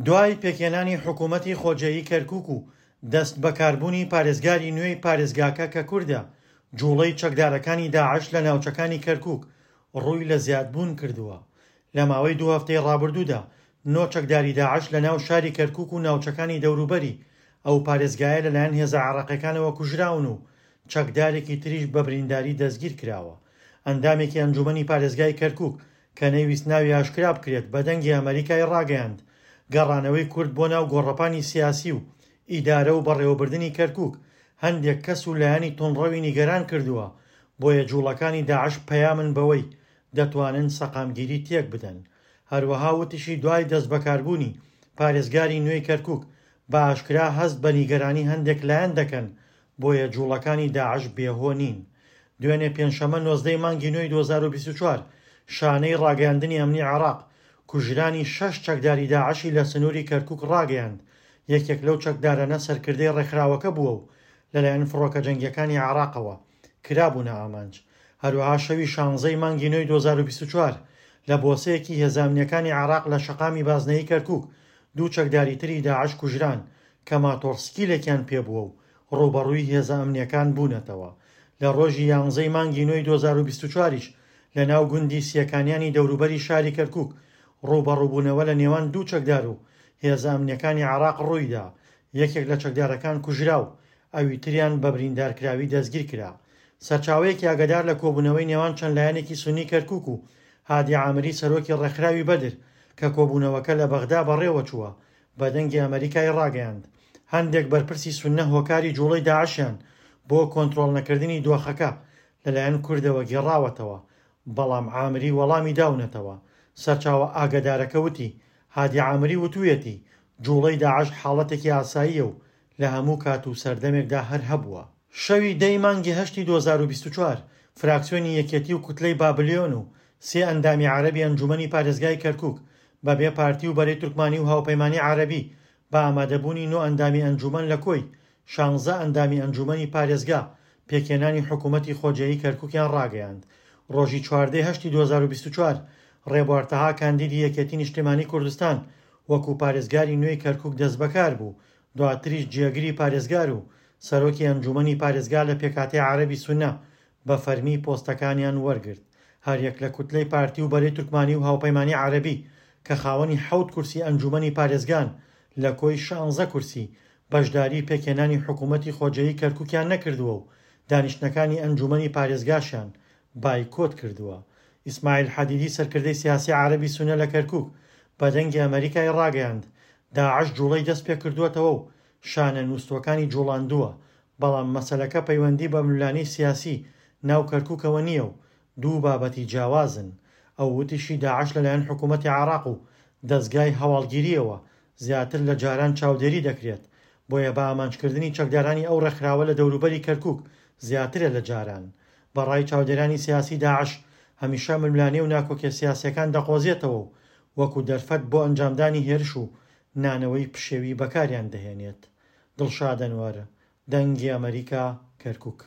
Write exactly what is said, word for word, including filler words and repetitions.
دوای پێکهێنانی حکوومەتی خۆجێیی کەرکووک و دەست بەکاربوونی پارێزگاری نوێی پارێزگاکە کە کوردە، جوڵەی چەکدارەکانی داعش لە ناوچەکانی کەرکووک ڕووی لە زیادبوون کردووە. لە ماوەی دوو هەفتەی ڕابردوودا نۆ چەکداری داعش لە ناو شاری کەرکووک و ناوچەکانی دەوروبەری ئەو پارێزگایە لەلایەن هێزە عێراقیەکانەوە کوژراون و چەکدارێکی تریش بە برینداری دەستگیر کراوە. ئەندامێکی ئەنجومەنی پارێزگای کەرکووک کە نەیویست ناوی ئاشکرا بکرێت بە دەنگی ئەمەریکای ڕاگەیاند گەڕانەوەی کورد بۆ ناو گۆڕەپانی سیاسی و ئیدارە و بەڕێوەبردنی کەرکووک هەندێک کەس و لایەنی توندڕەوی نیگەران کردووە، بۆیە جوڵەکانی داعش پەیامن بەوەی دەتوانن سەقامگیری تێک بدەن. هەروەها وتیشی دوای دەست بەکاربوونی پارێزگاری نوێی کەرکووک بە ئاشکرا هەست بە نیگەرانی هەندێک لایەن دەکەن، بۆیە جوڵەکانی داعش بێهۆ نین. دوێنێ پێنجشەممە نۆزدەی مانگی نوێی دوو هەزار و بیست و چوار شانەی ڕاگەیاندنی ئەمنی عێراق کوژرانی شەش چەکداری داعشی لە سنووری کەرکووک ڕاگەیاند. یەکێک لەو چەکدارانە سەرکردەی ڕێکخراوەکە بووە و لەلایەن فڕۆکە جەنگیەکانی عێراقەوە کرابوونە ئامانج. هەروەها شەوی شانزەی مانگی نوێی دوو هەزار و بیست و چوار لە بۆسەیەکی هێزە ئەمنیەکانی عێراق لە شەقامی بازنەیی کەرکووک دوو چەکداری تری داعش کوژران کە ماتۆڕسکیلێکیان پێبووە و ڕووبەڕووی هێزە ئەمنیەکان بوونەتەوە. لە ڕۆژی یانزەی مانگی نوێی دوو هەزار و بیست و چواریش لە ناو گوندی سیەکانیانی دەوروبەری شاری کەرکووک ڕووبەڕووبوونەوە لە نێوان دوو چەکدار و هێزە ئەمنیەکانی عێراق ڕوویدا. یەکێک لە چەکدارەکان کوژرا و ئەوی تریان بە بریندارکراوی دەستگیر کرا. سەرچاوەیەکی ئاگادار لە کۆبوونەوەی نێوان چەند لایەنێکی سوننی کەرکووک و هادی عامری سەرۆکی ڕێکخراوی بەدر کە کۆبوونەوەکە لە بەغدا بەڕێوە چووە بە دەنگی ئەمەریکای ڕاگەیاند هەندێک بەرپرسی سوننە هۆکاری جوڵەی داعشیان بۆ کۆنترۆڵ نەکردنی دۆخەکە لەلایەن کوردەوە گێڕاوەتەوە، بەڵام عامری وەڵامی داونەتەوە. سەرچاوە ئاگادارەکە وتی هادی عامری وتوویەتی جوڵەی داعش حاڵەتێکی ئاساییە و لە هەموو کات و سەردەمێکدا هەر هەبووە. شەوی دەی مانگی هەشتی دوو هەزار و بیست و چوار فراکسیۆنی یەکێتی و کوتلەی بابلیۆن و سێ ئەندامی عەرەبی ئەنجومەنی پارێزگای کەرکووک بەبێ پارتی و بەرەی تورکمانی و هاوپەیمانی عەرەبی بە ئامادەبوونی نۆ ئەندامی ئەنجومەن لە کۆی شانزە ئەندامی ئەنجومەنی پارێزگا پێکهێنانی حکوومەتی خۆجێیی کەرکووکیان ڕاگەیاند. ڕۆژی چواردەی هەشتی دوو هەزار و بیست و چوار ڕێبوار تەها کاندیدی یەکێتی نیشتیمانی کوردستان وەکو پارێزگاری نوێی کەرکووک دەست بەکار بوو، دواتریش جێگری پارێزگار و سەرۆکی ئەنجومەنی پارێزگا لە پێکهاتەی عەرەبی سوننە بە فەرمی پۆستەکانیان وەرگرت. هەریەک لە کوتلەی پارتی و بەرەی تورکمانی و هاوپەیمانی عەرەبی کە خاوەنی حەوت کورسی ئەنجومەنی پارێزگان لە کۆی شانزە کورسی بەشداری پێکهێنانی حکوومەتی خۆجێیی کەرکووکیان نەکردووە و دانیشتنەکانی ئەنجومەنی پارێزگاشیان بایکۆت کردووە. ئیسماعیل حەدیدی سەرکردەی سیاسی عەرەبی سوننە لە کەرکووک بە دەنگی ئەمەریکای ڕاگەیاند داعش جوڵەی دەست پێکردووەتەوە و شانە نووستوەکانی جوڵاندووە، بەڵام مەسەلەکە پەیوەندی بە ململانێی سیاسی ناو کەرکووکەوە نییە و دوو بابەتی جیاوازن. ئەو وتیشی داعش لەلایەن حکوومەتی عێراق و دەزگای هەواڵگیریەوە زیاتر لە جاران چاودێری دەکرێت، بۆیە بە ئامانجکردنی چەکدارانی ئەو ڕێکخراوە لە دەوروبەری کەرکووک زیاترە لە جاران. بەڕای چاودێرانی سیاسی داعش هەمیشە ململانێ و ناکۆکیە سیاسیەکان دەقۆزێتەوە و وەکو دەرفەت بۆ ئەنجامدانی هێرش و نانەوەی پشێوی بەکاریان دەهێنێت. دڵشاد ئەنوەر، دەنگی ئەمەریکا، کەرکووک.